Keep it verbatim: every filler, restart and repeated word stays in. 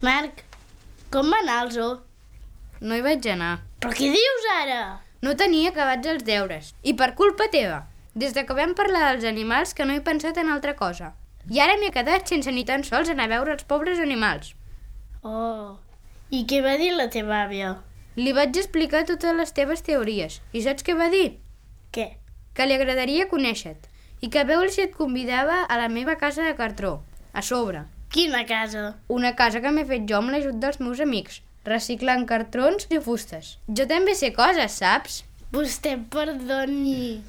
Marc, com va anar el zoo? No hi vaig anar. Però què dius ara? No tenia acabats els deures. I per culpa teva. Des que vam parlar dels animals que no he pensat en altra cosa. I ara m'he quedat sense ni tan sols anar a veure els pobres animals. Oh, i què va dir la teva àvia? Li vaig explicar totes les teves teories. I saps què va dir? Què? Que li agradaria conèixer-te. I que a veure si et convidava a la meva casa de cartró. A sobre. Quina casa? Una casa que m'he fet jo amb l'ajut dels meus amics, reciclant cartrons i fustes. Jo també sé coses, saps? Vostè perdoni.